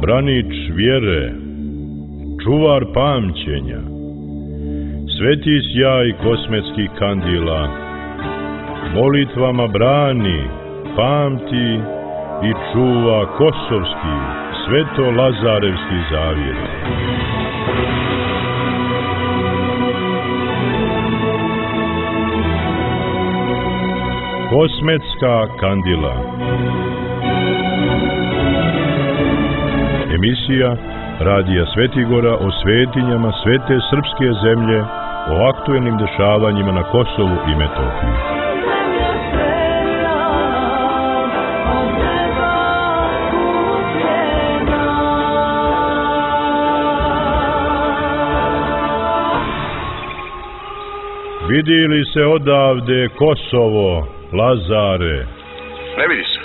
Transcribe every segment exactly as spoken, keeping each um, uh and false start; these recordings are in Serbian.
branič vjere, čuvar pamćenja, sveti sjaj kosmetskih kandila, molitvama brani, pamti i čuva kosovski, sveto-lazarevski zavjet. Kosmetska kandila. Emisija Radija Svetigora o svetinjama svete srpske zemlje, o aktuelnim dešavanjima na Kosovu i Metohiji. Vidi li se odavde Kosovo, Lazare? Ne vidi se,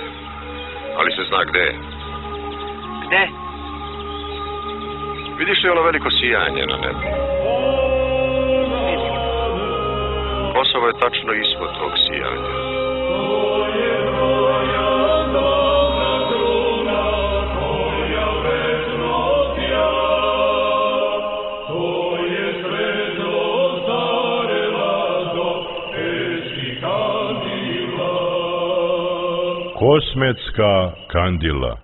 ali se zna gde je. Gde? Vidiš li ono veliko sijanje na nebu? Kosovo je tačno ispod tog sijanja. Kosmetska kandila.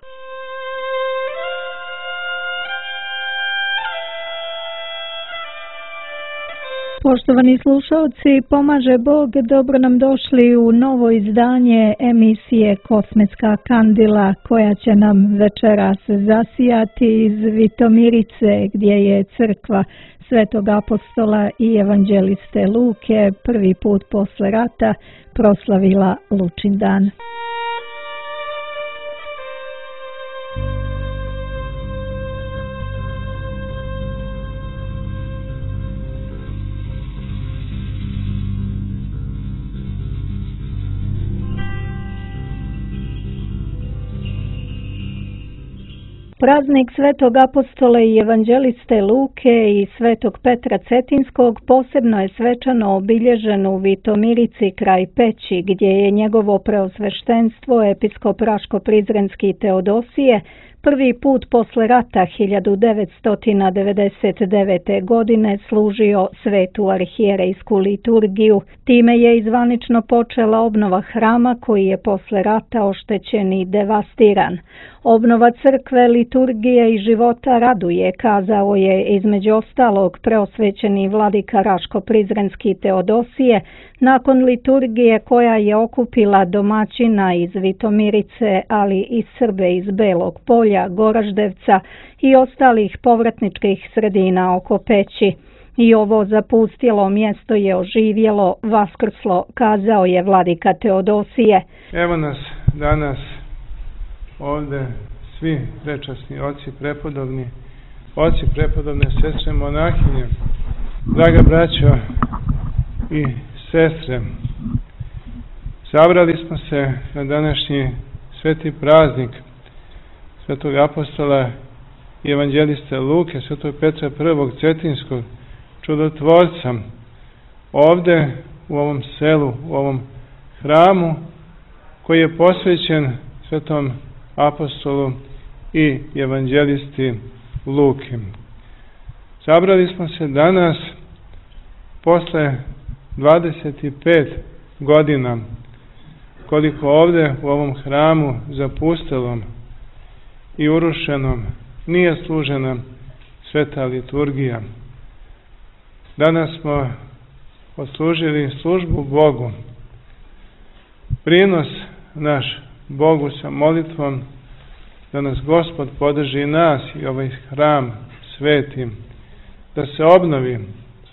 Poštovani slušalci, pomaže Bog, dobro nam došli u novo izdanje emisije Kosmetska kandila, koja će nam večeras zasijati iz Vitomirice, gdje je crkva Svetog apostola i evanđeliste Luke prvi put posle rata proslavila Lučindan. Praznik Svetog apostola i evanđeliste Luke i Svetog Petra Cetinskog posebno je svečano obilježen u Vitomirici kraj Peći, gdje je njegovo preosveštenstvo episkop Raško-Prizrenski Teodosije prvi put posle rata hiljadu devetsto devedeset devete. godine služio svetu arhijerejsku liturgiju. Time je izvanično počela obnova hrama koji je posle rata oštećen i devastiran. Obnova crkve, liturgije i života raduje, kazao je između ostalog preosvećeni vladika Raško-Prizrenski Teodosije nakon liturgije koja je okupila domaćina iz Vitomirice, ali i Srbe iz Belog Polja, Goraždevca i ostalih povratničkih sredina oko Peći. I ovo zapustjelo mjesto je oživjelo, vaskrslo, kazao je vladika Teodosije. Evo nas danas ovdje svi prečasni oci prepodobni, oci prepodobne sestre monahinje, draga braćo i sestre. Sabrali smo se na današnji sveti praznik Svetog apostola i evanđeliste Luke, Svetog Petra prvog Cetinskog, čudotvorca, ovdje u ovom selu, u ovom hramu koji je posvećen Svetom apostolu i evanđelisti Luki. Sabrali smo se danas posle dvadeset pet godina koliko ovdje u ovom hramu zapustelom i urušenom nije služena sveta liturgija. Danas smo odslužili službu Bogu. Prinos naš Bogu sa molitvom da nas Gospod podrži nas i ovaj hram svetim, da se obnovi.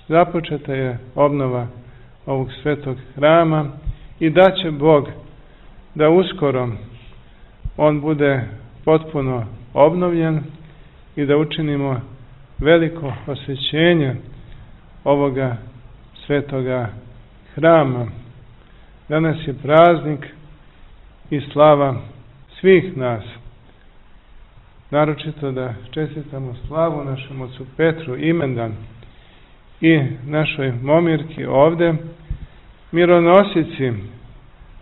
Započeta je obnova ovog svetog hrama i da će Bog da uskoro on bude potpuno obnovljen i da učinimo veliko osvećenje ovoga svetoga hrama. Danas je praznik i slava svih nas. Naročito da čestitamo slavu našem ocu Petru imendan i našoj momirki ovde, mironosici,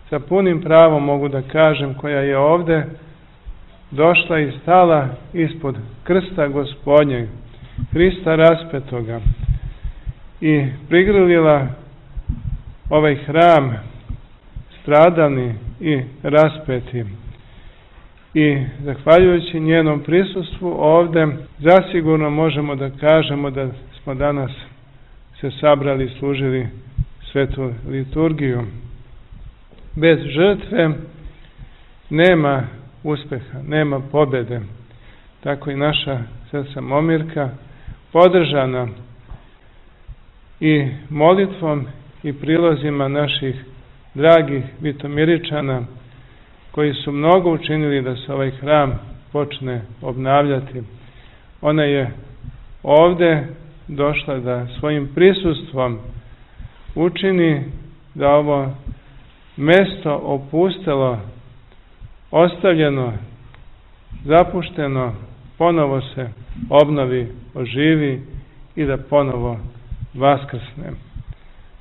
sa punim pravom mogu da kažem, koja je ovde došla i stala ispod krsta Gospodnjeg, Hrista raspetoga, i prigrlila ovaj hram stradalni i raspeti. I zahvaljujući njenom prisustvu ovde, zasigurno možemo da kažemo da smo danas se sabrali i služili svetu liturgiju. Bez žrtve nema uspeha, nema pobjede. Tako i naša sestra Momirka, podržana i molitvom i prilozima naših dragih Vitomiričana, koji su mnogo učinili da se ovaj hram počne obnavljati. Ona je ovde došla da svojim prisustvom učini da ovo mesto opustelo, ostavljeno, zapušteno, ponovo se obnovi, oživi i da ponovo vaskrsne.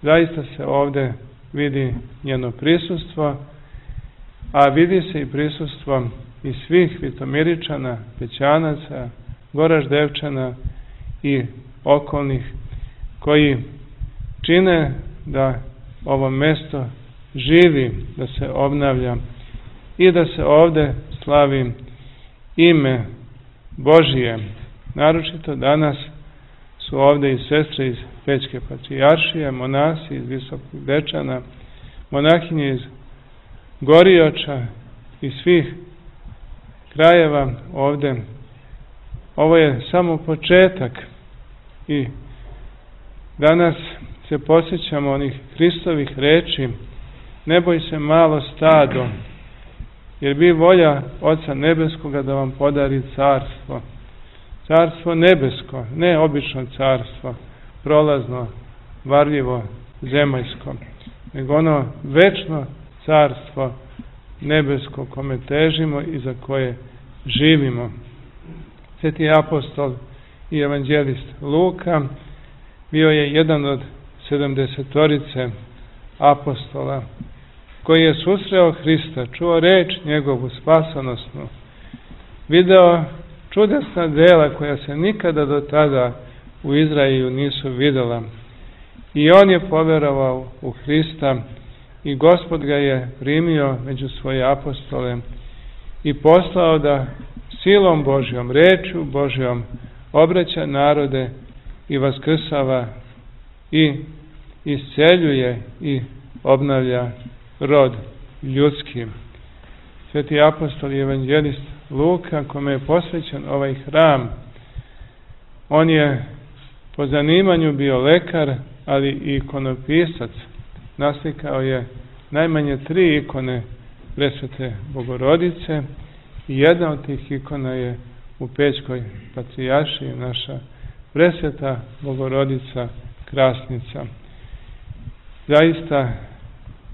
Zaista se ovde vidi njeno prisustvo, a vidi se i prisustvo i svih Vitomiričana, Pećanaca, Goraždevčana i okolnih, koji čine da ovo mesto živi, da se obnavlja i da se ovde slavi ime Božije. Naročito danas su ovde i sestre iz Pećke patrijaršije, monasi iz Visokog Dečana, monahinje iz Gorioča i svih krajeva ovde. Ovo je samo početak i danas se posjećamo onih Hristovih reči: ne boj se malo stado, jer bi volja Oca Nebeskoga da vam podari carstvo. Carstvo nebesko, ne obično carstvo, prolazno, varljivo, zemaljsko, nego ono večno carstvo nebesko kome težimo i za koje živimo. Sveti apostol i evanđelist Luka bio je jedan od sedamdesetorice apostola koji je susreo Hrista, čuo reč njegovu spasonosnu, video čudesna dela koja se nikada do tada u Izraelu nisu videla. I on je poverovao u Hrista i Gospod ga je primio među svoje apostole i poslao da silom Božjom, rečju Božjom obraća narode i vaskrsava i isceljuje i obnavlja rod ljudski. Sveti apostol i evanđelist Luka, kome je posvećen ovaj hram, on je po zanimanju bio lekar, ali i ikonopisac. Naslikao je najmanje tri ikone Presvete Bogorodice i jedna od tih ikona je u Pećkoj patrijaršiji naša Presveta Bogorodica Krasnica. Zaista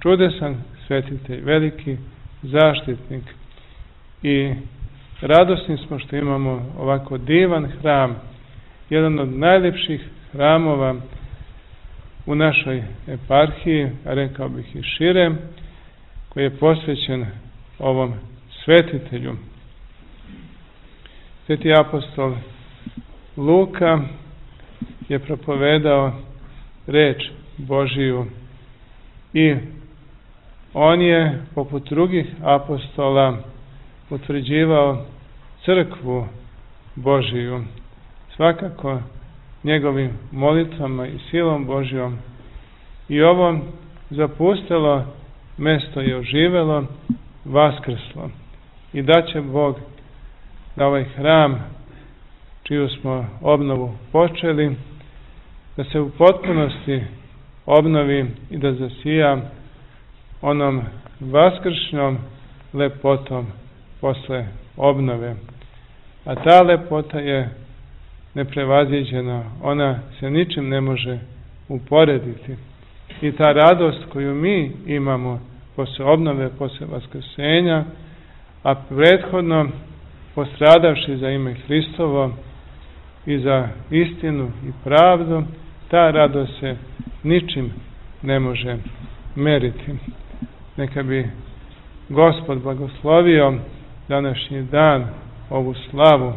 čudesan svetitelj, veliki zaštitnik, i radosni smo što imamo ovako divan hram, jedan od najlepših hramova u našoj eparhiji, a rekao bih i šire, koji je posvećen ovom svetitelju. Sveti apostol Luka je propovedao reč Božiju i on je, poput drugih apostola, utvrđivao crkvu Božiju, svakako njegovim molitvama i silom Božjom. I ovo zapustelo mesto je oživelo, vaskrslo. I da će Bog da ovaj hram, čiju smo obnovu počeli, da se u potpunosti obnovi i da zasija onom vaskršnjom lepotom posle obnove. A ta lepota je neprevaziđena, ona se ničim ne može uporediti. I ta radost koju mi imamo posle obnove, posle vaskrsenja, a prethodno postradavši za ime Hristovo i za istinu i pravdu, ta radost se ničim ne može meriti. Neka bi Gospod blagoslovio današnji dan, ovu slavu,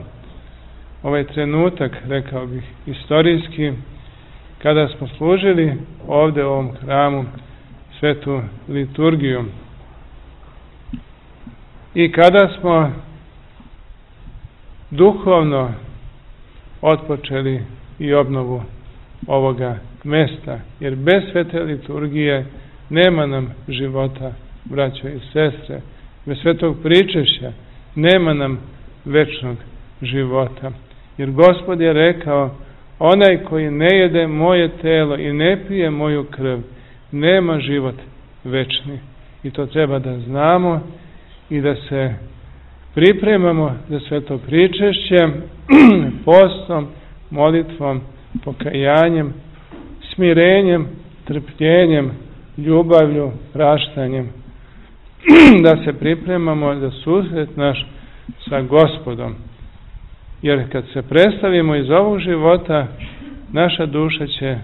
ovaj trenutak, rekao bih, istorijski, kada smo služili ovde u ovom hramu svetu liturgiju i kada smo duhovno otpočeli i obnovu ovoga mesta, jer bez svete liturgije nema nam života, braćo i sestre, bez svetog pričešća nema nam večnog života, jer Gospod je rekao: onaj koji ne jede moje telo i ne pije moju krv, nema život večni. I to treba da znamo i da se pripremamo za sveto pričešće postom, molitvom, pokajanjem, smirenjem, trpljenjem, ljubavlju, praštanjem, da se pripremamo za susret naš sa Gospodom. Jer kad se predstavimo iz ovog života, naša duša će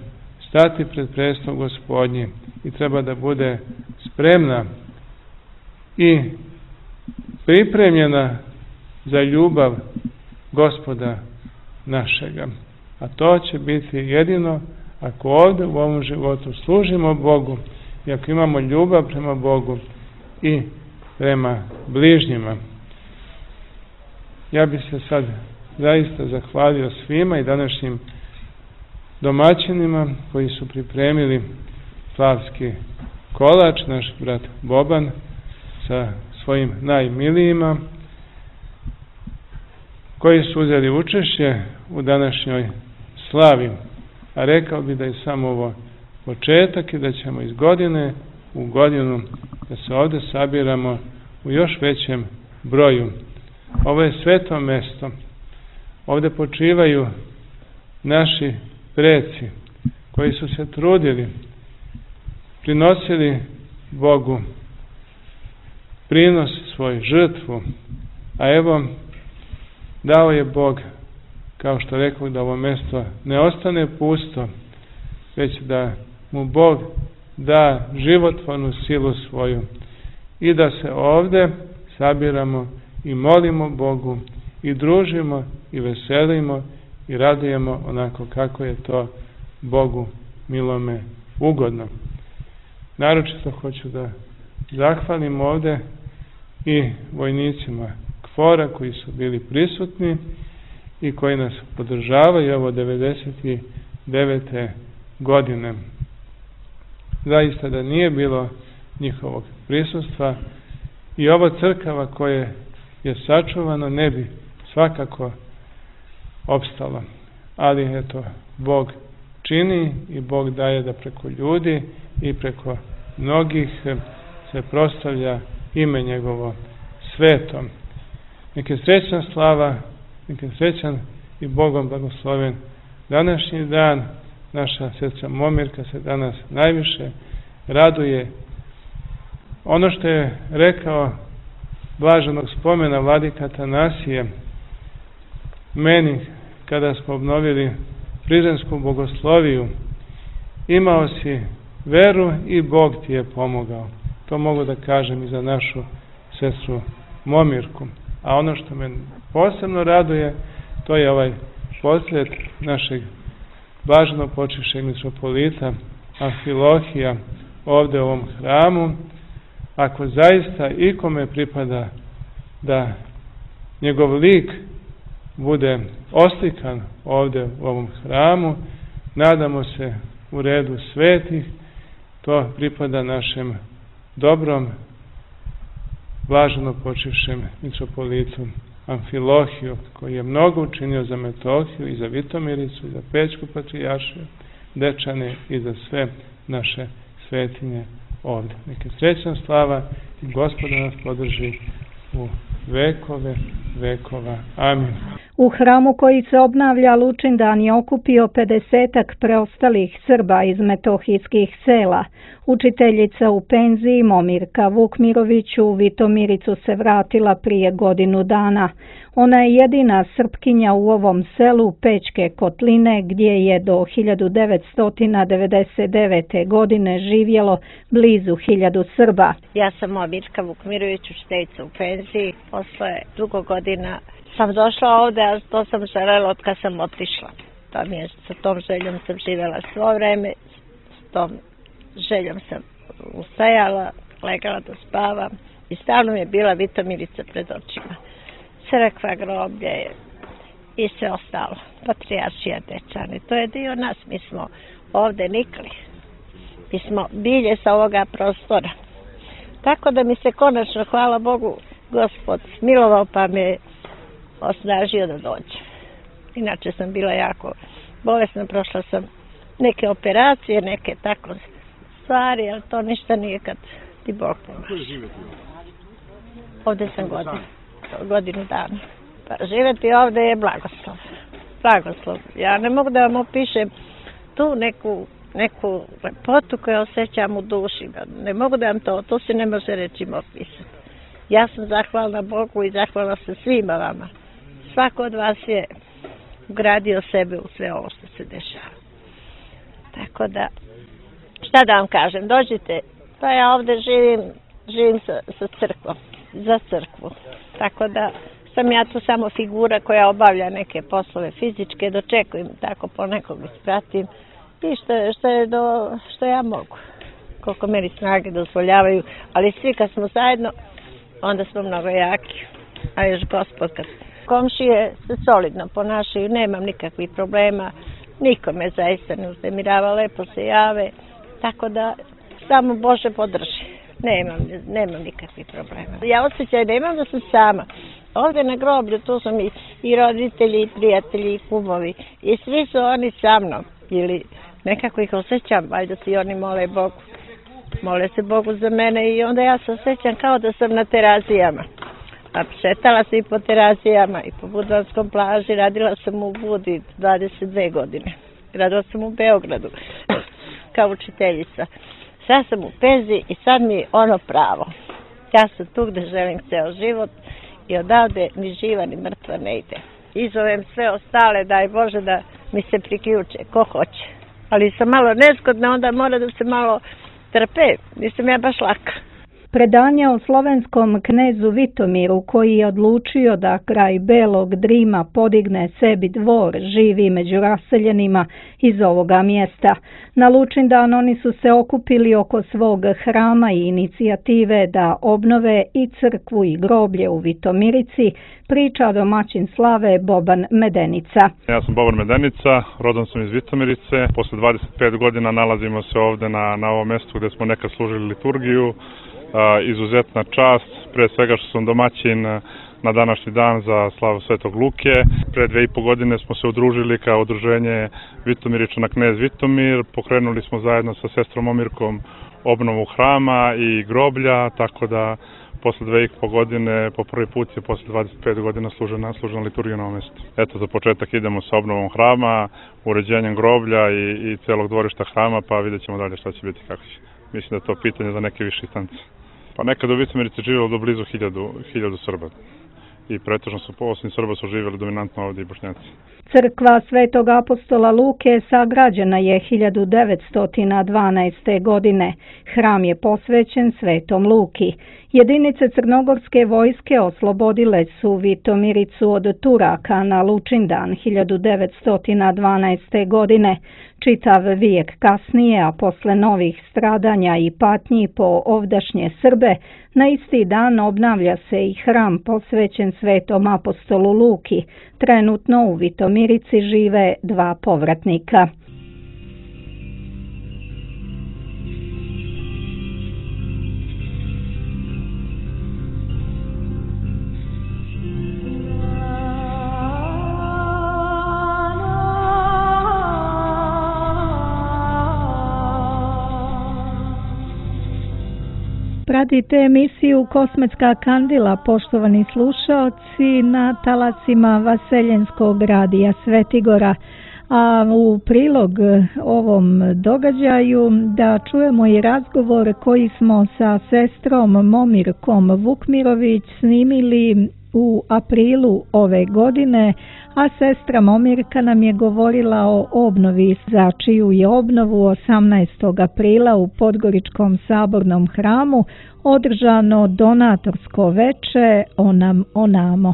stati pred prestol Gospodnji i treba da bude spremna i pripremljena za ljubav Gospoda našega. A to će biti jedino ako ovdje u ovom životu služimo Bogu i ako imamo ljubav prema Bogu i prema bližnjima. Ja bih se sad zaista zahvalio svima i današnjim domaćinima koji su pripremili slavski kolač, naš brat Boban sa svojim najmilijima, koji su uzeli učešće u današnjoj slavi. A rekao bi da je samo ovo početak i da ćemo iz godine u godinu da se ovdje sabiramo u još većem broju. Ovo je sveto mesto. Ovdje počivaju naši preci koji su se trudili, prinosili Bogu prinos svoj, žrtvu, a evo dao je Bog, kao što rekao, da ovo mesto ne ostane pusto, već da mu Bog da životvornu silu svoju i da se ovdje sabiramo i molimo Bogu i družimo i veselimo i radujemo onako kako je to Bogu milome ugodno. Naročito hoću da zahvalim ovdje i vojnicima KFOR-a koji su bili prisutni i koji nas podržavaju ovo devedeset devete godine. Zaista da nije bilo njihovog prisustva i ovo crkava koje je sačuvano ne bi svakako opstalo. Ali eto, Bog čini i Bog daje da preko ljudi i preko mnogih se proslavlja ime njegovo svetom. Nek je srećna slava, nek je srećan i Bogom blagosloven današnji dan. Naša sestra Momirka se danas najviše raduje. Ono što je rekao blaženog spomena vladika Atanasije meni kada smo obnovili Prizrensku bogosloviju: imao si veru i Bog ti je pomogao. To mogu da kažem i za našu sestru Momirku. A ono što me posebno raduje, to je ovaj poslet našeg blaženo počivšeg mitropolita Amfilohija ovdje u ovom hramu. Ako zaista ikome pripada da njegov lik bude oslikan ovdje u ovom hramu, nadamo se u redu svetih, to pripada našem dobrom blaženo počivšem mitropolitu Amfilohiju, koji je mnogo učinio za Metohiju i za Vitomiricu i za Pećku patrijaršiju, Dečane i za sve naše svetinje ovdje. Neka srećna slava i Gospod nas podrži u vekove vekova. Amin. U hramu koji se obnavlja Lučindan je okupio pedesetak preostalih Srba iz metohijskih sela. Učiteljica u penziji Momirka Vukmirović u Vitomiricu se vratila prije godinu dana. Ona je jedina Srpkinja u ovom selu Pećke Kotline gdje je do hiljadu devetsto devedeset devete. godine živjelo blizu hiljadu Srba. Ja sam Momirka Vukmirović, učiteljica u penziji. Posle dugo godina sam došla ovde, a to sam želela od kad sam otišla. To mi je, sa tom željom sam živjela svo vreme, s tom željom sam ustajala, legala da spavam i stalno mi je bila Vitomirica pred očima. Crkva, groblje i sve ostalo. Patrijaršija Dečani. To je dio nas. Mi smo ovde nikli. Mi smo bilje sa ovoga prostora. Tako da mi se konačno, hvala Bogu, Gospod smilovao pa me osnažio da dođem. Inače sam bila jako bolesna, prošla sam neke operacije, neke tako stvari, ali to ništa nije kad ti Bog pomaže. Ovde sam godinu, godinu dana. Pa živjeti ovde je blagoslov. Blagoslov. Ja ne mogu da vam opišem tu neku, neku lepotu koju osjećam u duši. Ne mogu da vam to, to se ne može rečima opisati. Ja sam zahvalna Bogu i zahvalna sam svima vama. Svako od vas je ugradio sebe u sve ovo što se dešava. Tako da, šta da vam kažem, dođite, pa ja ovde živim, živim sa, sa crkvom, za crkvu. Tako da sam ja tu samo figura koja obavlja neke poslove fizičke, dočekujem tako ponekog ispratim i što, što, je do, što ja mogu, koliko meni snage dozvoljavaju, ali svi kad smo zajedno, onda smo mnogo jaki, a još Gospod kad komšije se solidno ponašaju, nemam nikakvih problema, niko me zaista ne uznemirava, lepo se jave, tako da samo Bože podrži, nemam, nemam nikakvih problema. Ja osjećaj da imam da sam sama. Ovdje na groblju tu su mi i roditelji, i prijatelji, i kumovi, i svi su oni sa mnom, ili nekako ih osjećam, valjda si oni mole Bogu. Mole se Bogu za mene i onda ja se osjećam kao da sam na terazijama. A šetala sam i po terazijama i po Budvanskom plaži, radila sam u Budi dvadeset dve godine. Radila sam u Beogradu kao učiteljica. Sad sam u penziji i sad mi je ono pravo. Ja sam tu gde želim ceo život i odavde ni živa ni mrtva ne ide. Izovem sve ostale, daj Bože da mi se priključe, ko hoće. Ali sam malo nezgodna, onda mora da se malo trpe, nisam ja baš laka. Predanje o slovenskom knezu Vitomiru koji je odlučio da kraj Belog Drima podigne sebi dvor živi među raseljenima iz ovoga mjesta. Na Lučindan oni su se okupili oko svog hrama i inicijative da obnove i crkvu i groblje u Vitomirici, priča domaćin slave Boban Medenica. Ja sam Boban Medenica, rodom sam iz Vitomirice. Posle dvadeset pet godina nalazimo se ovde na, na ovom mjestu gde smo nekad služili liturgiju. Uh, izuzetna čast, pre svega što sam domaćin na današnji dan za slavu Svetog Luke. Pre dve i po godine smo se udružili kao udruženje Vitomiričana knez Vitomir. Pokrenuli smo zajedno sa sestrom Momirkom obnovu hrama i groblja, tako da posle dve i po godine, po prvi put je posle dvadeset pet godina služena, služena liturgija na ovom mjestu. Eto, za početak idemo sa obnovom hrama, uređenjem groblja i, i celog dvorišta hrama, pa vidjet ćemo dalje šta će biti, kako će. Mislim da je to pitanje za neke više instance. Pa nekad u Vitomirici živjelo do blizu hiljadu, hiljadu Srba. I pretežno su, osim Srba, su živjeli dominantno ovdje i Bošnjaci. Crkva Svetog apostola Luke sagrađena je hiljadu devetsto dvanaeste. godine. Hram je posvećen Svetom Luki. Jedinice crnogorske vojske oslobodile su Vitomiricu od Turaka na Lučindan hiljadu devetsto dvanaeste. godine. Čitav vijek kasnije, a posle novih stradanja i patnji po ovdašnje Srbe, na isti dan obnavlja se i hram posvećen Svetom apostolu Luki. Trenutno u Vitomirici žive dva povratnika. Pratite emisiju Kosmetska kandila, poštovani slušaoci, na talasima Vaseljenskog radija Svetigora. A u prilog ovom događaju da čujemo i razgovor koji smo sa sestrom Momirkom Vukmirović snimili u aprilu ove godine, a sestra Momirka nam je govorila o obnovi, za čiju je obnovu osamnaestog aprila u Podgoričkom sabornom hramu održano donatorsko veče Onam Onamo.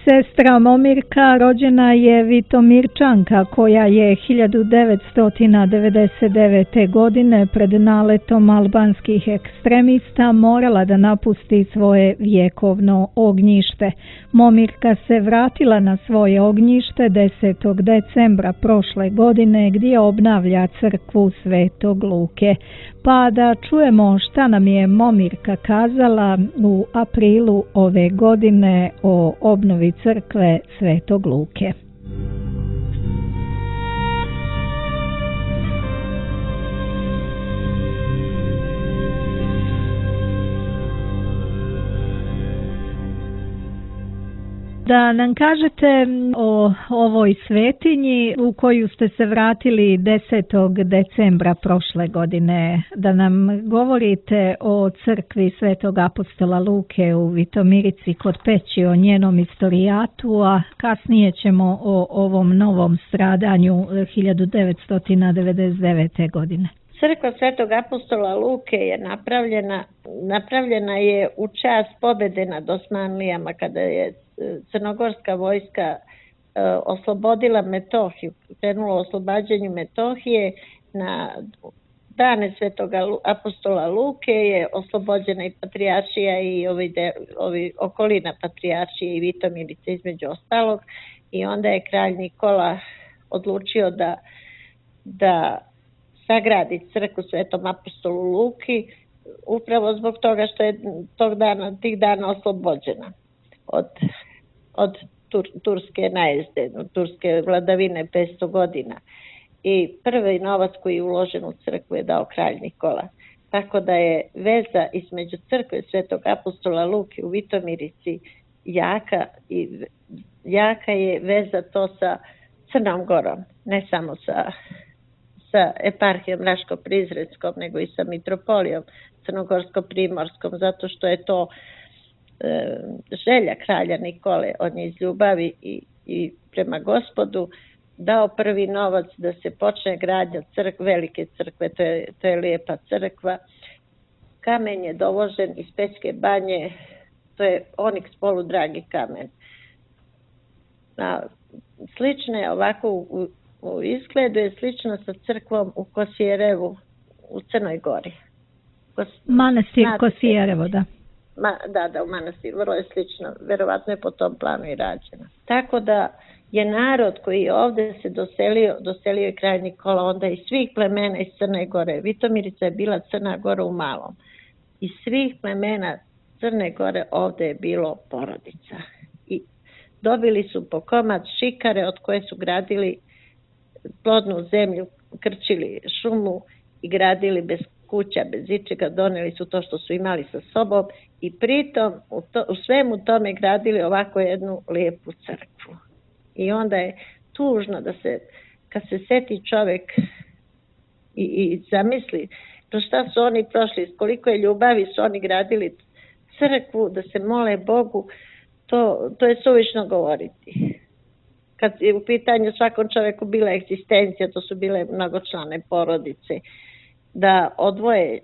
Sestra Momirka rođena je Vitomirčanka koja je hiljadu devetsto devedeset devete. godine pred naletom albanskih ekstremista morala da napusti svoje vjekovno ognjište. Momirka se vratila na svoje ognjište desetog decembra prošle godine gdje obnavlja crkvu Svetog Luke. Pa da čujemo šta nam je Momirka kazala u aprilu ove godine o obnovi crkve Svetog Luke. Da nam kažete o ovoj svetinji u koju ste se vratili desetog decembra prošle godine, da nam govorite o crkvi Svetog apostola Luke u Vitomirici kod Peći, o njenom istorijatu, a kasnije ćemo o ovom novom stradanju hiljadu devetsto devedeset devete. godine. Crkva Svetog apostola Luke je napravljena, napravljena je u čast pobjede nad Osmanlijama kada je crnogorska vojska oslobodila Metohiju, krenula u oslobađanju Metohije. Na dane Svetog apostola Luke je oslobođena i Patrijaršija i ovi, de, ovi okolina Patrijaršije i Vitomirice između ostalog, i onda je kralj Nikola odlučio da, da sagradi crkvu Svetom apostolu Luki upravo zbog toga što je tog dana, tih dana oslobođena od, od tur, turske najezde, od turske vladavine petsto godina. I prvi novac koji je uložen u crkvu je dao kralj Nikola. Tako da je veza između crkve Svetog apostola Luke u Vitomirici jaka, i jaka je veza to sa Crnom Gorom, ne samo sa, sa eparhijom Raško-Prizrenskom, nego i sa mitropolijom Crnogorsko-Primorskom, zato što je to e, želja kralja Nikole. On je iz ljubavi i, i prema Gospodu dao prvi novac da se počne gradnja crkve, velike crkve, to je, to je lijepa crkva. Kamen je dovožen iz Pećke banje, to je oniks poludragi kamen. A, slično je ovako u, u izgledu, je slično sa crkvom u Kosjerevu u Crnoj Gori. Kos, Manastir Kosjerevo, da. Ma, da, da, u manastir, vrlo je slično, verovatno je po tom planu i rađeno. Tako da je narod koji je ovdje se doselio, doselio je kralj Nikola, onda iz svih plemena iz Crne Gore. Vitomirica je bila Crna Gora u malom. Iz svih plemena Crne Gore ovdje je bilo porodica. I dobili su po komad šikare od koje su gradili plodnu zemlju, krčili šumu i gradili bez kuća, bez ičega, doneli su to što su imali sa sobom i pritom u, to, u svemu tome gradili ovako jednu lijepu crkvu. I onda je tužno da se, kad se seti čovjek i, i zamisli to šta su oni prošli, koliko je ljubavi su oni gradili crkvu, da se mole Bogu, to, to je suvišno govoriti. Kad je u pitanju svakom čovjeku bila egzistencija, to su bile mnogočlane porodice, da odvoje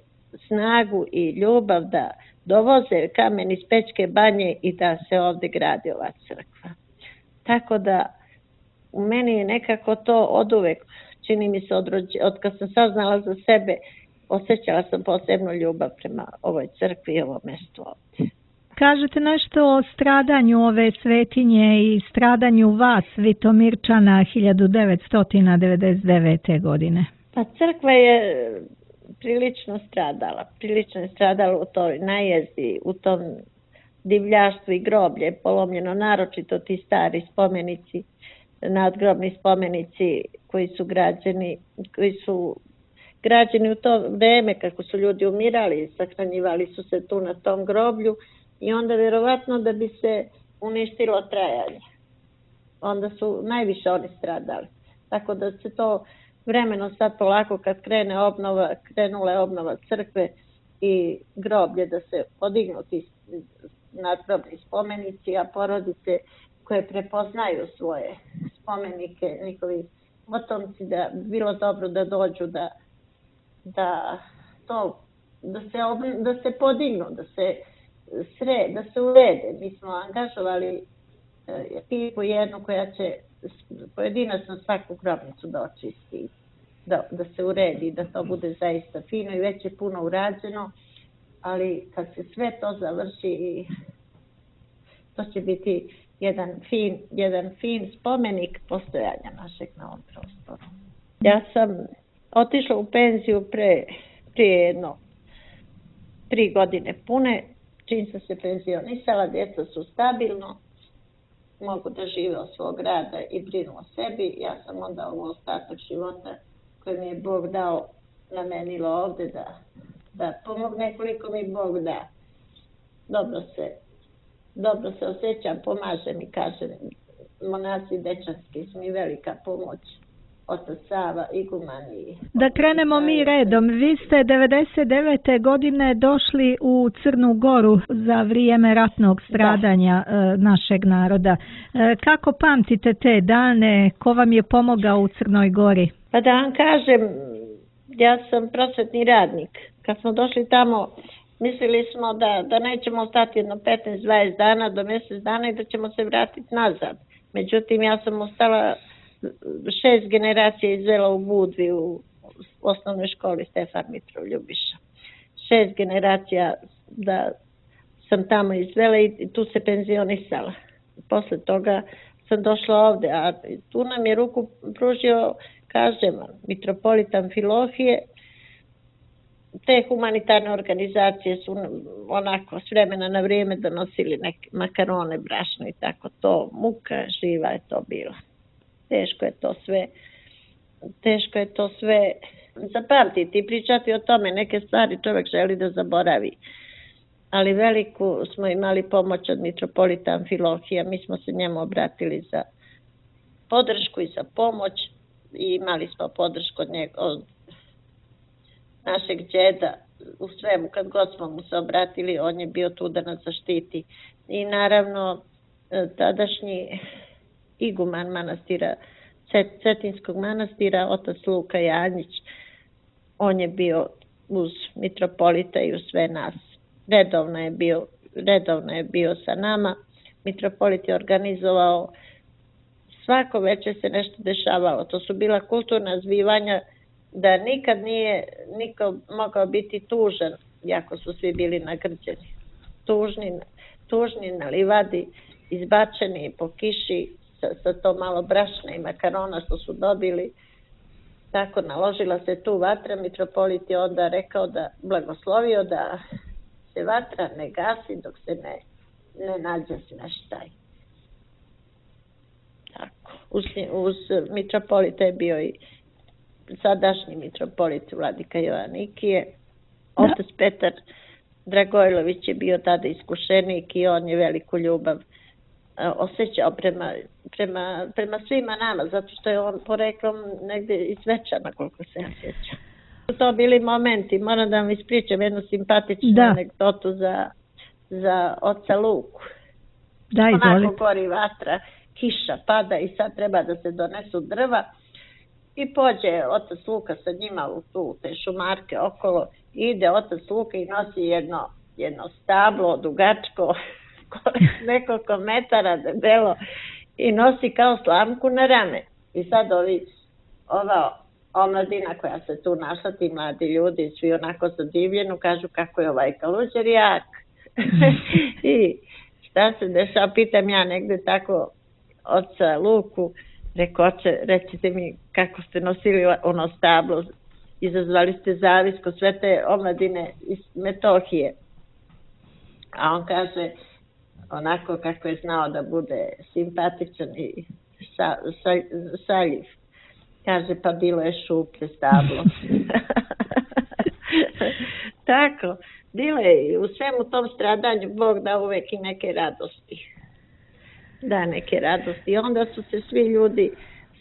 snagu i ljubav, da dovoze kamen iz Pećke banje i da se ovdje gradi ova crkva. Tako da u meni je nekako to oduvek, čini mi se od, rođe, od kad sam saznala za sebe, osjećala sam posebnu ljubav prema ovoj crkvi i ovom mjestu ovdje. Kažete nešto o stradanju ove svetinje i stradanju vas, Vitomirčana, hiljadu devetsto devedeset devete. godine. Pa crkva je prilično stradala, prilično je stradala u toj najezdi, u tom divljaštvu i groblje je polomljeno, naročito ti stari spomenici, nadgrobni spomenici koji su građeni, koji su građeni u to vreme kako su ljudi umirali, sahranjivali su se tu na tom groblju i onda vjerovatno da bi se uništilo trajanje. Onda su najviše oni stradali. Tako da se to vremeno sad polako kad krene obnova, krenula je obnova crkve i groblje da se podignu ti nadgrobni spomenici, a porodice koje prepoznaju svoje spomenike, njihovi potomci, da bilo dobro da dođu da, da, to, da, se, obn, da se podignu, da se sre, da se urede. Mi smo angažovali ekipu jednu koja će pojedinačno svaku grobnicu da očisti, da, da se uredi, da to bude zaista fino i već je puno urađeno, ali kad se sve to završi, to će biti jedan fin, jedan fin spomenik postojanja našeg na ovom prostoru. Ja sam otišla u penziju pre, prije jedno tri godine pune, čim sam se penzionisala, djeca su stabilno, mogu da žive od svog rada i brinu o sebi. Ja sam onda u ostatak života koji mi je Bog dao namenilo ovde da, da pomogne koliko mi Bog da. Dobro se, dobro se osjećam, pomažem i kažem, monasi dečanski su mi velika pomoć. Otac Sava, iguman i... Da krenemo mi redom. Vi ste devedeset devete godine došli u Crnu Goru za vrijeme ratnog stradanja da. našeg naroda. Kako pamtite te dane? Ko vam je pomogao u Crnoj Gori? Pa da vam kažem, ja sam prosvetni radnik. Kad smo došli tamo, mislili smo da, da nećemo ostati jedno petnaest dvadeset dana do mjesec dana i da ćemo se vratiti nazad. Međutim, ja sam ostala šest generacija izvela u Budvi u osnovnoj školi Stefan Mitrov Ljubiša. Šest generacija da sam tamo izvela i tu se penzionisala. Posle toga sam došla ovde, a tu nam je ruku pružio, kažem, mitropolit Amfilohije. Te humanitarne organizacije su onako s vremena na vrijeme donosili neke makarone, brašno i tako to. Muka živa je to bila. Teško je to sve, teško je to sve zapamtiti i pričati o tome. Neke stvari čovjek želi da zaboravi. Ali veliku smo imali pomoć od mitropolita Amfilohija. Mi smo se njemu obratili za podršku i za pomoć i imali smo podršku od njega, od našeg džeda u svemu. Kad god smo mu se obratili, on je bio tu da nas zaštiti. I naravno, tadašnji iguman manastira, Cetinskog manastira, otac Luka Janjić, on je bio uz mitropolita i uz sve nas. Redovno je bio, redovno je bio sa nama. Mitropolit je organizovao, svako večer se nešto dešavalo. To su bila kulturna zbivanja da nikad nije niko mogao biti tužan, jako su svi bili nagrđeni. Tužni, tužni na livadi, izbačeni po kiši, Sa, sa to malo brašna i makarona što su dobili. Tako naložila se tu vatra, mitropolit je onda rekao da, blagoslovio da se vatra ne gasi dok se ne, ne nađe smeštaj. Tako. Uz, uz mitropolita je bio i sadašnji mitropolit Vladika Joanikije. Otac Petar Dragojlović je bio tada iskušenik i on je veliku ljubav osjećao prema, prema, prema svima nama, zato što je on poreklom negdje iz Zvečana, koliko se ja sjećam. To bili momenti, moram da vam ispričam jednu simpatičnu da. anegdotu za, za oca Luku. Da, izvolite. Onako gori vatra, kiša pada i sad treba da se donesu drva i pođe otac Luka sa njima u tu, te šumarke okolo, ide otac Luka i nosi jedno, jedno stablo dugačko, nekoliko metara debelo i nosi kao slamku na rame. I sad ovi, ova omladina koja se tu našla, ti mladi ljudi, svi onako zadivljeno, kažu kako je ovaj kaluđer jak. I šta se dešava, pitam ja negde tako oca Luku, reko, oče, recite mi kako ste nosili ono stablo, izazvali ste zavis kod sve te omladine iz Metohije. A on kaže, onako kako je znao da bude simpatičan i sa, sa, saljiv. Kaže, pa bilo je šuplje stablo. tako, bilo je u svemu tom stradanju Bog da uvek i neke radosti. Da, neke radosti. Onda su se svi ljudi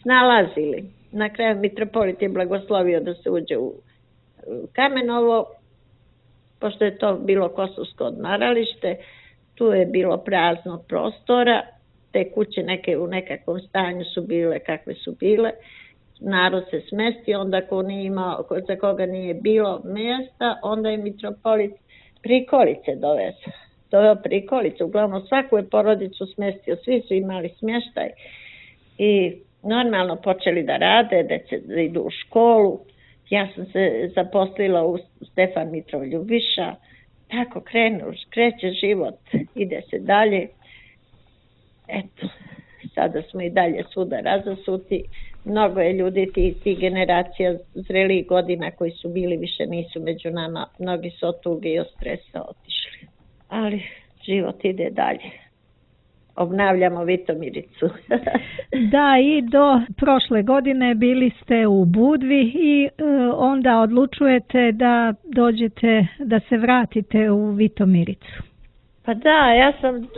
snalazili. Na kraju mitropolit je blagoslovio da se uđe u Kamenovo, pošto je to bilo kosovsko odmaralište, tu je bilo praznog prostora, te kuće neke u nekakvom stanju su bile kakve su bile, narod se smestio, onda ko nije imao, za koga nije bilo mjesta, onda je mitropolit prikolice dovezao. Doveo prikolice, uglavnom svaku je porodicu smestio, svi su imali smještaj i normalno počeli da rade, da idu u školu. Ja sam se zaposlila u Stefan Mitrov Ljubiša, tako krenu, kreće život, ide se dalje. Eto, sada smo i dalje svuda razasuti. Mnogo je ljudi, ti, ti generacija zrelijih godina koji su bili, više nisu među nama. Mnogi su od tuge i od stresa otišli. Ali život ide dalje. Obnavljamo Vitomiricu. Da, i do prošle godine bili ste u Budvi i e, onda odlučujete da dođete, da se vratite u Vitomiricu. Pa da, ja sam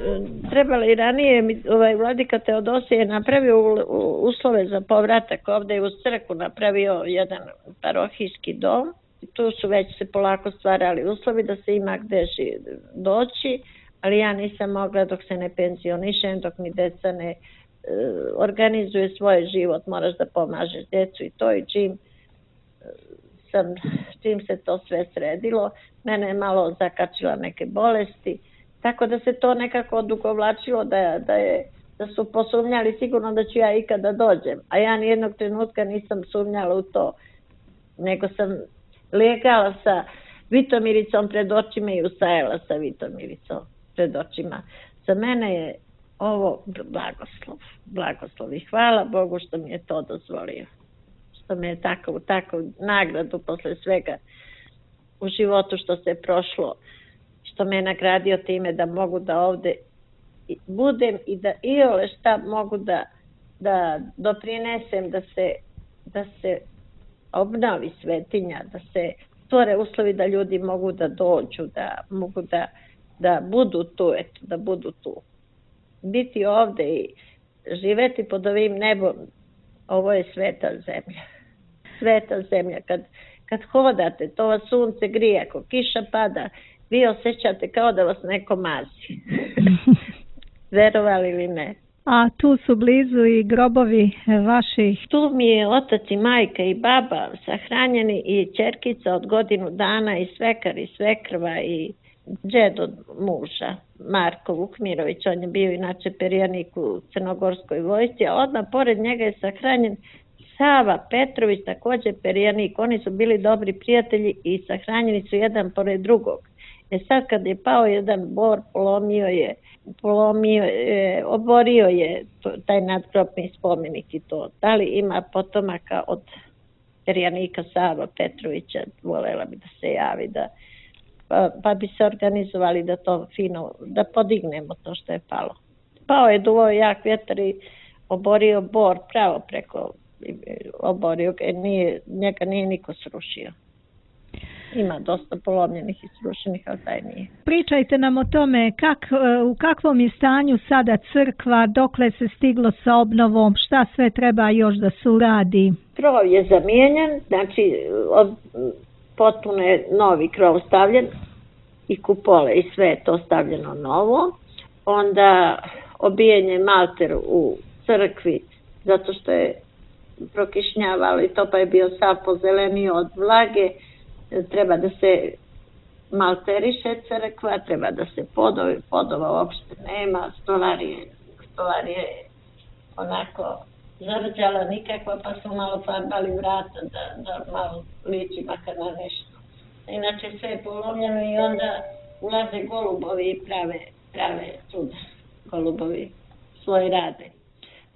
trebala i ranije, ovaj vladika Teodosije je napravio uslove za povratak ovdje uz crkvu, napravio jedan parohijski dom. Tu su već se polako stvarali uslovi da se ima gde doći, ali ja nisam mogla dok se ne penzionišem, dok mi deca ne e, organizuje svoj život, moraš da pomažeš djecu i to i čim, sam, čim se to sve sredilo, mene je malo zakačila neke bolesti, tako da se to nekako odugovlačilo da, da, je, da su posumnjali sigurno da ću ja ikada dođem, a ja nijednog trenutka nisam sumnjala u to, nego sam legala sa Vitomiricom pred očima i ustajala sa Vitomiricom pred očima. Za mene je ovo blagoslov, blagoslov i hvala Bogu što mi je to dozvolio. Što me je tako, tako nagradu posle svega u životu što se prošlo, što me je nagradio time da mogu da ovde budem i da iole šta mogu da, da doprinesem da se, da se obnovi svetinja, da se stvore uslovi da ljudi mogu da dođu, da mogu da, da budu tu, eto, da budu tu. Biti ovde i živeti pod ovim nebom, ovo je sveta zemlja. Sveta zemlja. Kad, kad hodate, to vas sunce grije, ako kiša pada, vi osjećate kao da vas neko mazi. Verovali ili ne? A tu su blizu i grobovi vaših? Tu mi je otac i majka i baba sahranjeni i ćerkica od godinu dana i svekar i svekrva i džed od muža, Marko Vukmirović, on je bio inače perjanik u Crnogorskoj vojsci, a odmah pored njega je sahranjen Sava Petrović, također perjanik. Oni su bili dobri prijatelji i sahranjeni su jedan pored drugog. E sad kad je pao jedan bor, polomio je, polomio je, oborio je to, taj nadgrobni spomenik i to. Da li ima potomaka od perjanika Sava Petrovića, volela bi da se javi, da, pa, pa bi se organizovali da to fino, da podignemo to što je palo. Pao je duvo jak vjetar i oborio bor pravo preko, oborio ga, nije, njega nije niko srušio. Ima dosta polomljenih i srušenih, ali taj nije. Pričajte nam o tome kak, u kakvom je stanju sada crkva, dokle se stiglo sa obnovom, šta sve treba još da se uradi? Krov je zamijenjen, znači od, potpuno je novi krov stavljen i kupole i sve je to stavljeno novo. Onda obijen je malter u crkvi zato što je prokišnjavalo i to pa je bio sav pozelenio od vlage. Treba da se malteriše crkva, treba da se podovi, podova uopšte nema, stolarije, stolarije onako zarđala nikakva, pa su malo farbali vrata da, da malo liči makar na nešto. Inače sve je polomljeno i onda ulaze golubovi i prave, prave čuda. Golubovi svoj rade.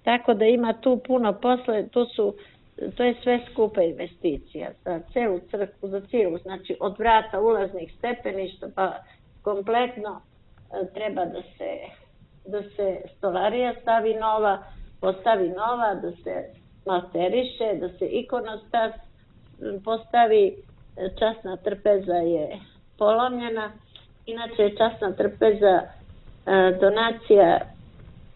Tako da ima tu puno posle, tu su to je sve skupa investicija za celu crkvu, za cijelu, znači od vrata ulaznih stepeništa pa kompletno treba da se, da se stolarija stavi nova, postavi nova, da se malteriše, da se ikonostas postavi, časna trpeza je polomljena. Inače je časna trpeza donacija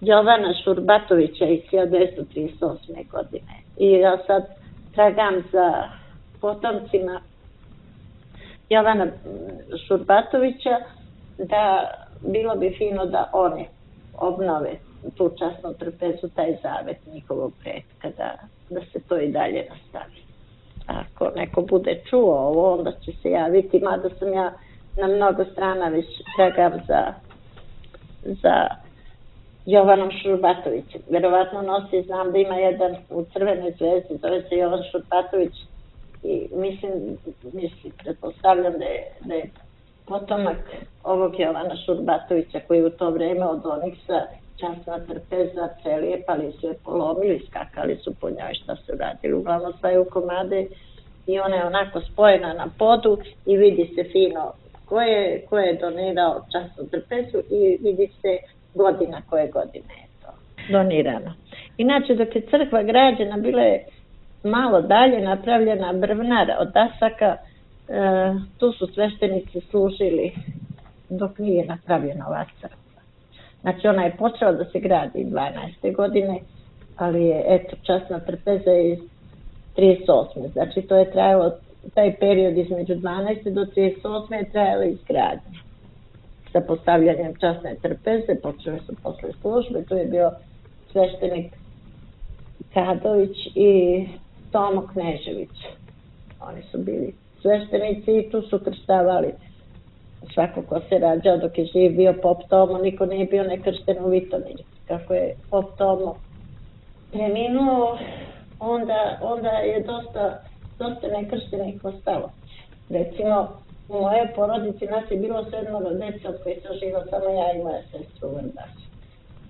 Jovana Šurbatovića iz hiljadu devetsto trideset osme. godine. I ja sad tragam za potomcima Jovana Šurbatovića, da bilo bi fino da oni obnove tu časnu trpezu, taj zavet njihovog pretka, da, da se to i dalje nastavi. Ako neko bude čuo ovo, onda će se javiti, mada sam ja na mnogo strana već tragam za, za Jovanom Šurbatovićem. Verovatno nosi, znam da ima jedan u Crvenoj zvezdi, zove se Jovan Šurbatović, i mislim, mislim, pretpostavljam da je, da je potomak ovog Jovana Šurbatovića, koji u to vreme od Oniksa časna trpeza prelijepali su je, polomili, skakali su po njoj, šta su radili, uglavnom staju komade i ona je onako spojena na podu i vidi se fino ko je, ko je donirao časnu trpezu i vidi se godina koje godine je to donirano. Inače, dok je crkva građena, bila je malo dalje napravljena brvnara od dasaka, e, tu su sveštenici služili dok nije napravljena ova crkva. Znači, ona je počela da se gradi dvanaeste. godine, ali je, eto, časna trpeza iz trideset osme. Znači, to je trajalo, taj period između dvanaeste do trideset osme je trajalo izgradnje. Sa postavljanjem časne trpeze, počeli su posle službe, tu je bio sveštenik Kadović i Tomo Knežević. Oni su bili sveštenici i tu su krštavali svako ko se rađao dok je živ bio pop Tomo, niko nije bio nekršten u Vitomiri. Kako je pop Tomo preminuo, onda, onda je dosta, dosta nekrštenih ostalo. Recimo, u mojoj porodici nas je bilo sedmoro dece, od koji sam živa samo ja i moja sestra u Vrdašu.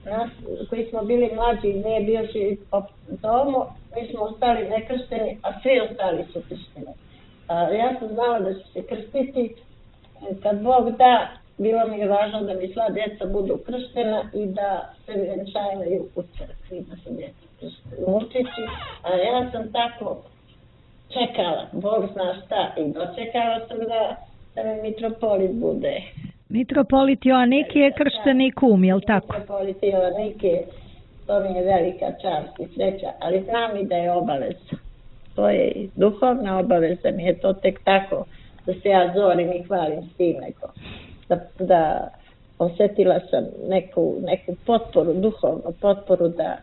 Nas koji smo bili mlađi, nije bio živ pop Tomo, mi smo ostali nekršteni, a svi ostali su kršteni. A, ja sam znala da će se krstiti. Kad Bog da, bilo mi je važno da mi sva djeca budu krštena i da se vjenčavaju u crkvi, da se djeca krštene u mučići. A ja sam tako čekala, Bog zna šta, i dočekala sam da, da mi mitropolit bude. Mitropolit Joaniki je kršteni kum, je li tako? Mitropolit Joaniki, to mi je velika čast i sreća, ali znam i da je obaveza. To je i duhovna obaveza, mi je to tek tako da se ja zorim i hvalim s tim, nego da, da osjetila sam neku, neku potporu, duhovnu potporu da,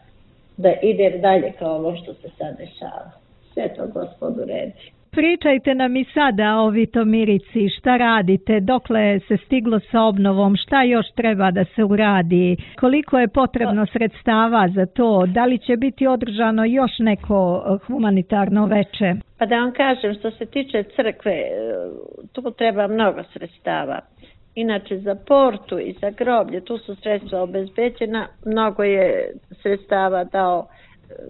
da idem dalje kao ovo što se sad dešava. Sve to Gospodu redi. Pričajte nam i sada o Vitomirici, šta radite, dokle se stiglo sa obnovom, šta još treba da se uradi, koliko je potrebno sredstava za to, da li će biti održano još neko humanitarno veče? Pa da vam kažem, što se tiče crkve, tu treba mnogo sredstava. Inače, za portu i za groblje, tu su sredstva obezbeđena, mnogo je sredstava dao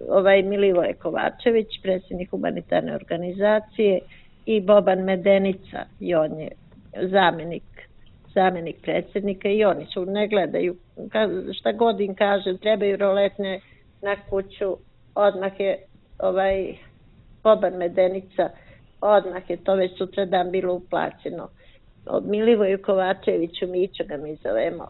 ovaj Milivoje Kovačević, predsjednik humanitarne organizacije, i Boban Medenica, i on je zamjenik, zamjenik predsjednika, i oni su ne gledaju, šta god im kažem, trebaju roletne na kuću, odmah je ovaj Boban Medenica, odmah je to već sutradan bilo uplaćeno. Od Milivoju Kovačeviću, Mićo ga mi zovemo,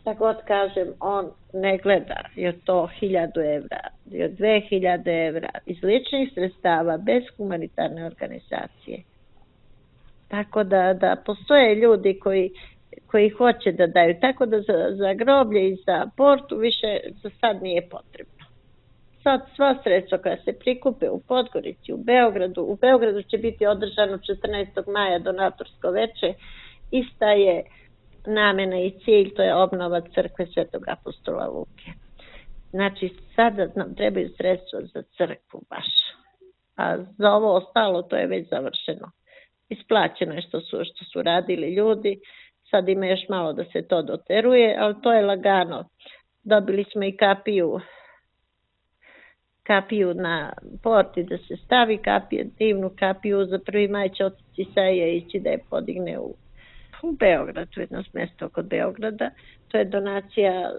šta god kažem, on ne gleda, je to hiljadu evra, je dve hiljade evra, iz ličnih sredstava, bez humanitarne organizacije. Tako da, da postoje ljudi koji, koji hoće da daju, tako da za, za groblje i za portu više za sad nije potrebno. Sad sva sredstva koja se prikupe u Podgorici, u Beogradu, u Beogradu će biti održano četrnaestog maja donatorsko veče, ista je namena i cilj, to je obnova crkve Svetog apostola Luke. Znači, sada nam trebaju sredstva za crkvu baš. A za ovo ostalo, to je već završeno. Isplaćeno je što su, što su radili ljudi, sad ima još malo da se to doteruje, ali to je lagano. Dobili smo i kapiju, kapiju na porti da se stavi, kapiju, divnu kapiju za prvi maj će otac Isaija ići da je podigne u u Beogradu, jedno mjesto kod Beograda. To je donacija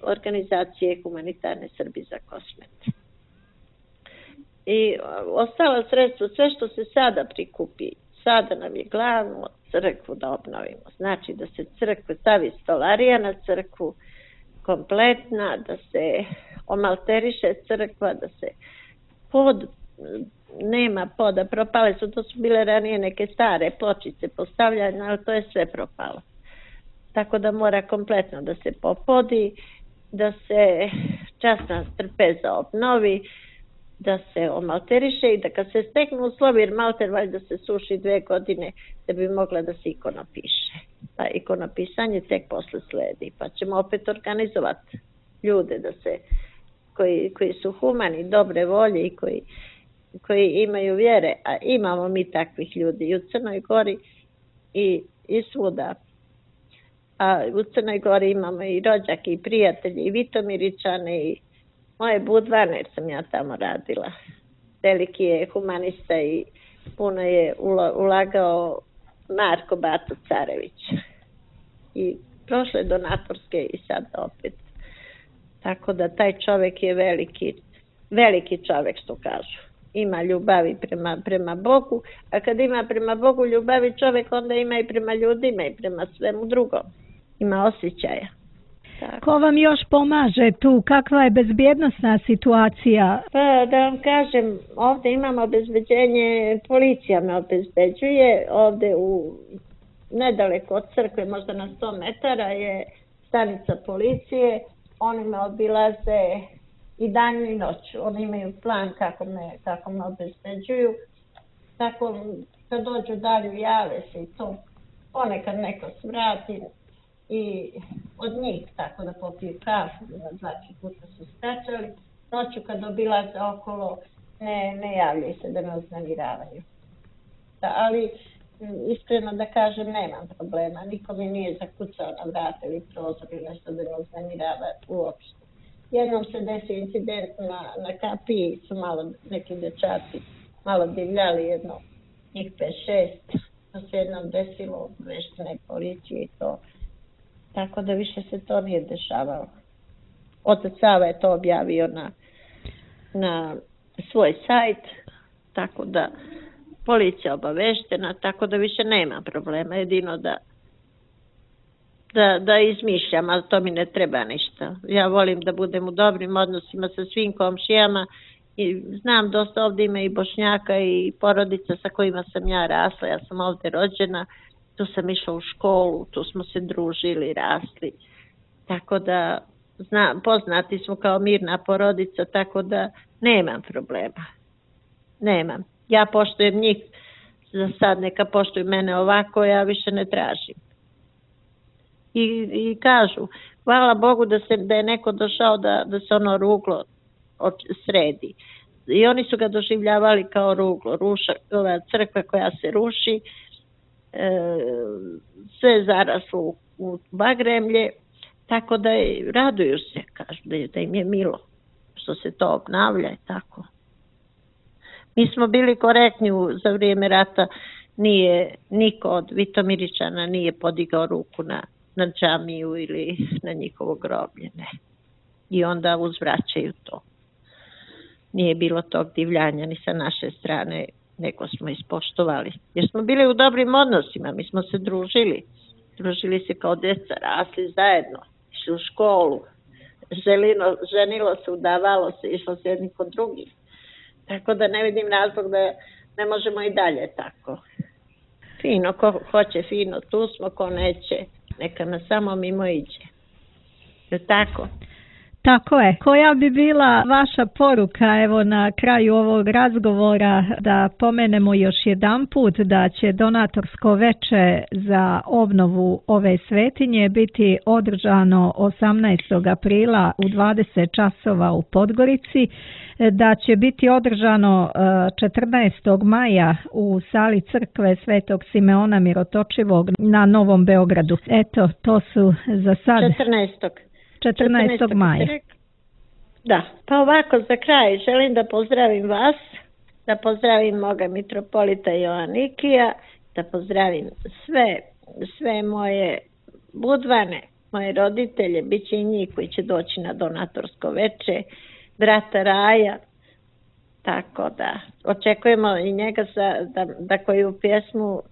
organizacije Humanitarne Srbi za Kosmet. I ostala sredstva, sve što se sada prikupi, sada nam je glavno crkvu da obnovimo. Znači da se crkva stavi stolarija na crkvu kompletna, da se omalteriše crkva, da se pod, nema poda, propale su, to su bile ranije neke stare pločice postavljane, ali to je sve propalo. Tako da mora kompletno da se popodi, da se časna trpeza obnovi, da se omalteriše i da kad se steknu uslovi, jer malter valjda se suši dve godine da bi mogla da se ikona piše. Pa ikonopisanje tek posle sledi, pa ćemo opet organizovati ljude da se, koji, koji su humani, dobre volje i koji, koji imaju vjere, a imamo mi takvih ljudi i u Crnoj Gori i, i svuda. A u Crnoj Gori imamo i rođake i prijatelji i Vitomiričane i moje Budvane, jer sam ja tamo radila. Veliki je humanista i puno je ulagao Marko Bato Carević. I prošle donatorske i sad opet. Tako da taj čovjek je veliki, veliki čovjek, što kažu. Ima ljubavi prema, prema Bogu, a kad ima prema Bogu ljubavi čovjek, onda ima i prema ljudima i prema svemu drugom. Ima osjećaja. Tako. Ko vam još pomaže tu? Kakva je bezbjednosna situacija? Pa da vam kažem, ovdje imamo obezbeđenje, policija me obezbeđuje, ovdje u nedaleko od crkve, možda na sto metara je stanica policije, oni me obilaze i danju i noću, oni imaju plan kako me, kako me obezbeđuju, tako kad dođu dalje jave se i to, ponekad neko svrati i od njih tako da popiju kafu, dva puta su skačali, noću kad obilaze okolo ne, ne javljaju se da me uznemiravaju. Da, ali iskreno da kažem, nemam problema, niko mi nije zakucao na vrata ili prozor ili nešto da me uznemirava uopšte. Jednom se desio incident na, na kapiji, su malo neki dečaci malo divljali, jedno njih pet šest, to se jednom desilo veštine policije i to. Tako da više se to nije dešavalo. Otac Sava je to objavio na, na svoj sajt, tako da policija obaveštena, tako da više nema problema, jedino da Da, da izmišljam, ali to mi ne treba ništa. Ja volim da budem u dobrim odnosima sa svim komšijama i znam dosta ovdje ima i Bošnjaka i porodica sa kojima sam ja rasla. Ja sam ovdje rođena, tu sam išla u školu, tu smo se družili, rasli. Tako da znam, poznati smo kao mirna porodica, tako da nemam problema. Nemam. Ja poštujem njih, za sad neka poštuju mene ovako, ja više ne tražim. I, i kažu, hvala Bogu da, se, da je neko došao da, da se ono ruglo sredi. I oni su ga doživljavali kao ruglo, ruša, ova crkva koja se ruši, e, sve zaraslo u, u bagremlje, tako da je, raduju se, kažu da, je, da im je milo što se to obnavlja i tako. Mi smo bili korektni u, za vrijeme rata, nije, niko od Vitomiričana nije podigao ruku na na džamiju ili na njihovo groblje, ne. I onda uzvraćaju to. Nije bilo tog divljanja ni sa naše strane, nego smo ispoštovali. Jer smo bili u dobrim odnosima, mi smo se družili. Družili se kao djeca, rasli zajedno, išli u školu, želino, ženilo se, udavalo se, išlo se jedni kod drugih. Tako da ne vidim razlog da ne možemo i dalje tako. Fino, ko hoće fino, tu smo, ko neće, neka nas samo mimo iđe. Je tako? Tako je. Koja bi bila vaša poruka evo na kraju ovog razgovora da pomenemo još jedan put da će donatorsko veče za obnovu ove svetinje biti održano osamnaestog aprila u dvadeset časova u Podgorici, da će biti održano četrnaestog maja u sali crkve Svetog Simeona Mirotočivog na Novom Beogradu. Eto, to su za sad... četrnaestog četrnaestog maja. Da, pa ovako za kraj želim da pozdravim vas, da pozdravim moga mitropolita Joanikija, da pozdravim sve, sve moje Budvane, moje roditelje, bit će i njih koji će doći na donatorsko veče, brata Raja, Tako da, očekujemo i njega za, da, da koju pjesmu uh,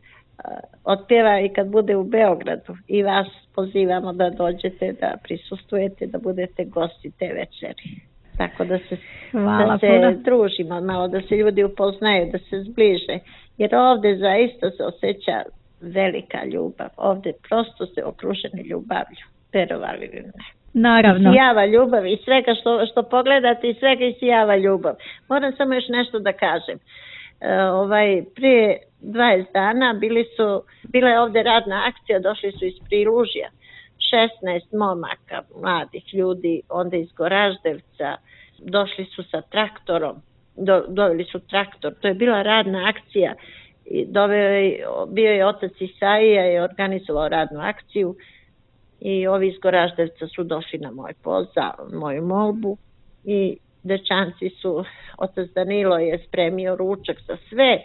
otpjeva i kad bude u Beogradu. I vas pozivamo da dođete, da prisustvujete, da budete gosti te večeri. Tako da se, da se družimo malo, da se ljudi upoznaju, da se zbliže. Jer ovdje zaista se osjeća velika ljubav. Ovdje prosto se okruženi ljubavlju. Verovali li ne? Naravno. Isijava ljubav i svega što, što pogledate i svega isijava ljubav. Moram samo još nešto da kažem. E, ovaj, prije dvadeset dana bili su, bila je ovdje radna akcija, došli su iz Prilužja. šesnaest momaka, mladih ljudi, onda iz Goraždevca, došli su sa traktorom, do, doveli su traktor, to je bila radna akcija, i doveo je, bio je otac Isaija i organizovao radnu akciju i ovi iz Goraždevca su došli na moj poziv, moju molbu i dečanci su, otac Danilo je spremio ručak za sve,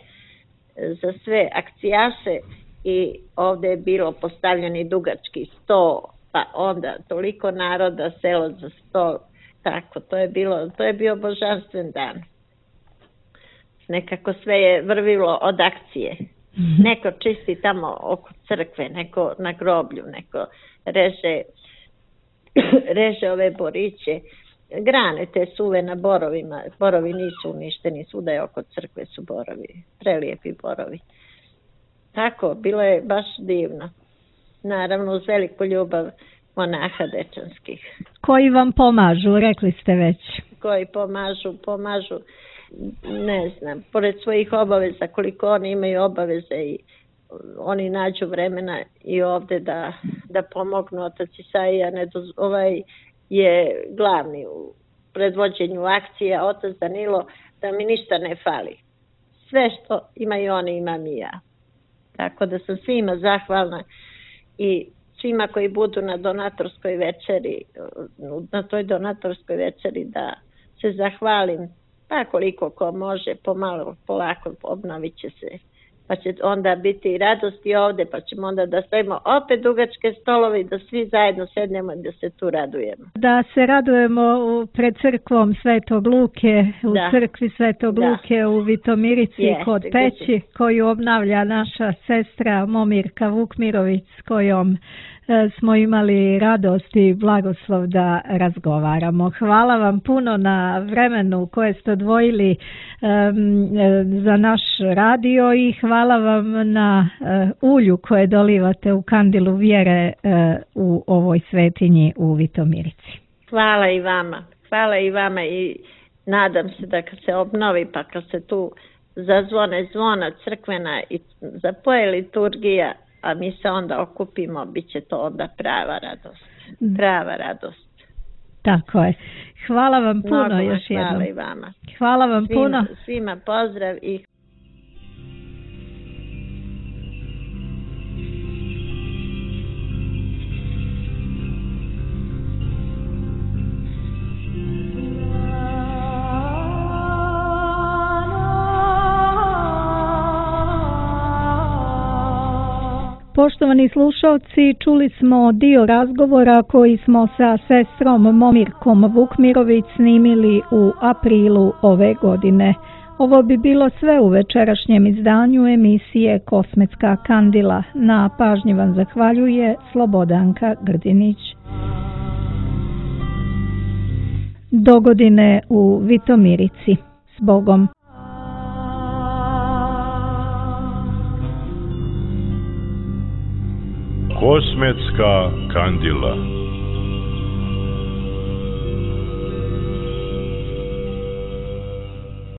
za sve akcijaše. I ovdje je bilo postavljeni dugački sto, pa onda toliko naroda, selo za sto, tako, to je bilo, to je bio božanstven dan. Nekako sve je vrvilo od akcije. Mm-hmm. Neko čisti tamo oko crkve, neko na groblju, neko reže, reže ove boriće, grane te suve na borovima, borovi nisu uništeni, svuda je oko crkve su borovi, prelijepi borovi. Tako, bilo je baš divno. Naravno, uz veliku ljubav monaha dečanskih. Koji vam pomažu, rekli ste već. Koji pomažu, pomažu, ne znam, pored svojih obaveza, koliko oni imaju obaveze i oni nađu vremena i ovdje da, da pomognu. Otac Isaija ovaj je glavni u predvođenju akcije, otac Danilo, da mi ništa ne fali. Sve što imaju oni, imam i ja. Tako da sam svima zahvalna i svima koji budu na donatorskoj večeri, na toj donatorskoj večeri da se zahvalim, pa koliko ko može, pomalo, polako obnovit će se. Pa će onda biti radosti ovdje, pa ćemo onda da stavimo opet dugačke stolove i da svi zajedno sednemo i da se tu radujemo. Da se radujemo pred crkvom Svetog Luke, u da. crkvi Svetog da. Luke u Vitomirici Jeste, kod Peći, gdje... koju obnavlja naša sestra Momirka Vukmirović, s kojom e, smo imali radost i blagoslov da razgovaramo. Hvala vam puno na vremenu koje ste odvojili e, za naš radio i hvala vam na uh, ulju koje dolivate u kandilu vjere uh, u ovoj svetinji u Vitomirici. Hvala i vama. Hvala i vama i nadam se da kad se obnovi pa kad se tu zazvone zvona crkvena i zapoje liturgija, a mi se onda okupimo, bit će to onda prava radost. Prava radost. Tako je. Hvala vam puno Mnogo još jednom. Hvala i vama. Hvala vam svima, puno. Svima pozdrav i Poštovani slušalci, čuli smo dio razgovora koji smo sa sestrom Momirkom Vukmirović snimili u aprilu ove godine. Ovo bi bilo sve u večerašnjem izdanju emisije Kosmetska kandila. Na pažnji vam zahvaljuje Slobodanka Grdinić. Dogodine u Vitomirici. S Bogom! Kosmetska kandila.